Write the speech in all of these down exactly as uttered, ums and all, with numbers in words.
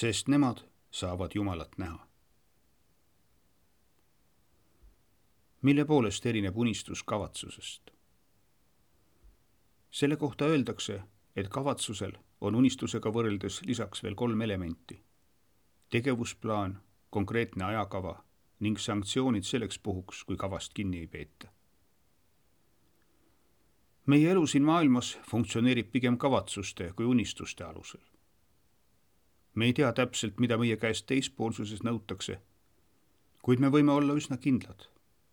sest nemad saavad Jumalat näha. Mille poolest erineb unistus kavatsusest? Selle kohta öeldakse, et kavatsusel on unistusega võrreldes lisaks veel kolm elementi. Tegevusplaan, konkreetne ajakava ning sanktsioonid selleks puhuks, kui kavast kinni ei peeta. Meie elu siin maailmas funktsioneerib pigem kavatsuste kui unistuste alusel. Me ei tea täpselt, mida meie käest teispoolsuses nõutakse, kuid me võime olla üsna kindlad,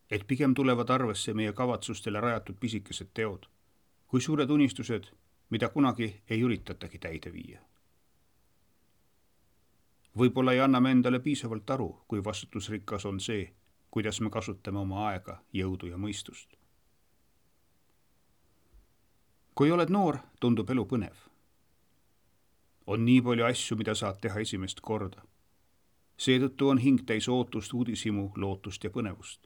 et pigem tulevad arvesse meie kavatsustele rajatud pisikesed teod, kui suured unistused, mida kunagi ei üritatagi täide viia. Võib-olla ei anna me endale piisavalt aru, kui vastutusrikas on see, kuidas me kasutame oma aega, jõudu ja mõistust. Kui oled noor, tundub elu põnev. On nii palju asju, mida saad teha esimest korda. Seetõttu on hing täis ootust, uudishimu, lootust ja põnevust.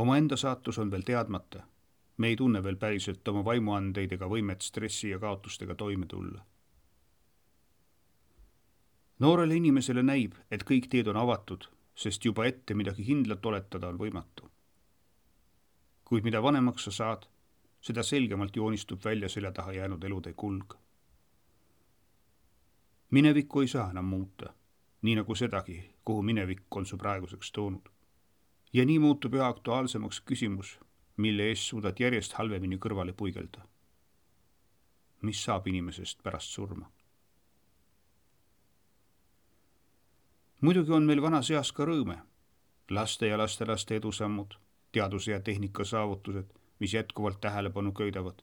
Oma enda saatus on veel teadmata. Me ei tunne veel päriselt oma vaimuandeid ega võimet stressi ja kaotustega toime tulla. Noorele inimesele näib, et kõik teed on avatud, sest juba ette midagi kindlat oletada on võimatu. Kuid mida vanemaks sa saad, seda selgemalt joonistub välja selja taha jäänud elude kulg. Minevikku ei saa enam muuta, nii nagu sedagi, kuhu minevik on su praeguseks toonud. Ja nii muutub üha aktuaalsemaks küsimus, mille eest suudad järjest halvemini kõrvale puigelda. Mis saab inimesest pärast surma? Muidugi on meil vanas eas ka rõõme, laste ja lastelaste edusammud, teaduse ja tehnika saavutused, mis jätkuvalt tähelepanu köidavad,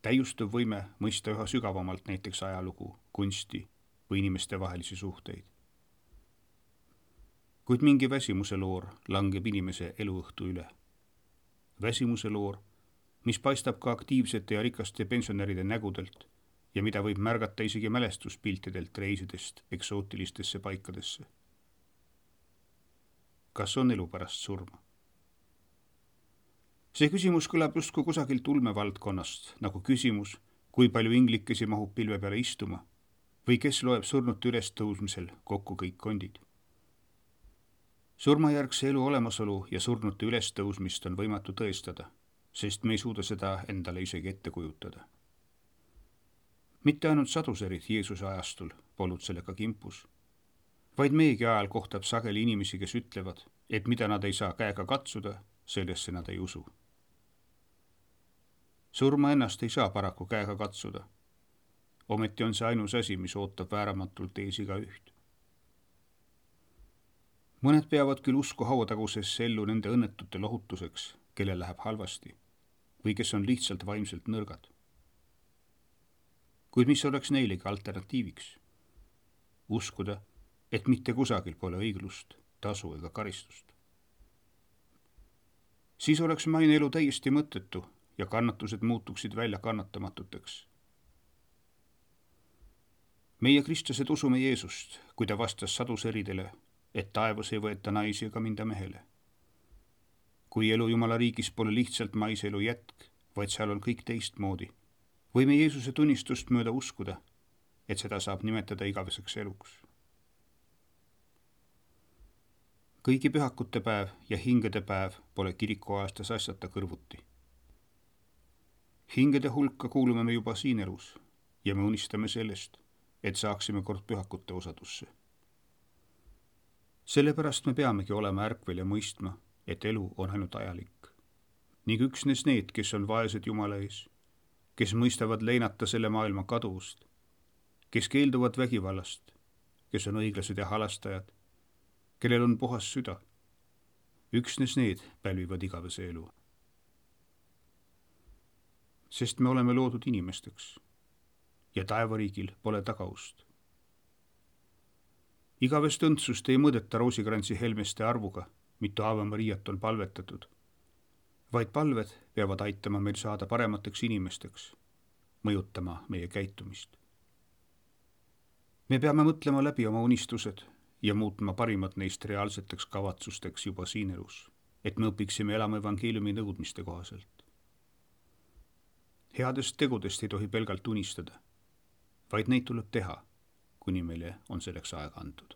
täiustuv võime mõista üha sügavamalt näiteks ajalugu, kunsti või inimeste vahelisi suhteid. Kuid mingi väsimuse loor langeb inimese eluõhtu üle. Väsimuse loor, mis paistab ka aktiivsete ja rikaste pensionäride nägudelt ja mida võib märgata isegi mälestuspiltidelt reisidest eksootilistesse paikadesse. Kas on elu pärast surma? See küsimus kõlab justkui kusagilt ulmevaldkonnast, nagu küsimus, kui palju inglikesi mahub pilve peale istuma või kes loeb surnute ülestõusmisel kokku kõik kondid. Surmajärgse elu olemasolu ja surnute ülestõusmist on võimatu tõestada, sest me ei suuda seda endale isegi ette kujutada. Mitte ainult saduserid Jeesuse ajastul polnud sellega kimpus, vaid meegi ajal kohtab sageli inimesi, kes ütlevad, et mida nad ei saa käega katsuda, sellesse nad ei usu. Surma ennast ei saa paraku käega katsuda. Ometi on see ainus asi, mis ootab vääramatult ees iga üht. Mõned peavad küll usku hauatagusesse ellu nende õnnetute lohutuseks, kellel läheb halvasti, või kes on lihtsalt vaimselt nõrgad. Kuid mis oleks neilegi alternatiiviks? Uskuda, et mitte kusagil pole õiglust, tasu ega karistust. Siis oleks maine elu täiesti mõttetu ja kannatused muutuksid välja kannatamatuteks. Meie kristlased usume Jeesust, kui ta vastas saduseridele, et taevas ei võeta naisi ega minda mehele. Kui elu Jumala riigis pole lihtsalt maiselu jätk, vaid seal on kõik teistmoodi, võime Jeesuse tunnistust mööda uskuda, et seda saab nimetada igaveseks eluks. Kõigi pühakute päev ja hingede päev pole kirikuaastas asjata kõrvuti. Hingede hulka kuulume me juba siin elus ja me unistame sellest, et saaksime kord pühakute osadusse. Sellepärast me peamegi olema ärkvel ja mõistma, et elu on ainult ajalik. Ning üksnes need, kes on vaesed Jumala ees, kes mõistavad leinata selle maailma kaduvust, kes keelduvad vägivallast, kes on õiglased ja halastajad, kellel on puhas süda, üksnes need pälvivad igavese elu. Sest me oleme loodud inimesteks ja taevariigil pole tagaust. Igavest õndsust ei mõõdeta roosikrantsi helmeste arvuga, mitu Ave Mariat on palvetatud, vaid palved peavad aitama meil saada paremateks inimesteks, mõjutama meie käitumist. Me peame mõtlema läbi oma unistused ja muutma parimad neist reaalseteks kavatsusteks juba siin elus, et me õpiksime elama evangeeliumi nõudmiste kohaselt. Headest tegudest ei tohi pelgalt unistada, vaid neid tuleb teha, kuni meile on selleks aega antud.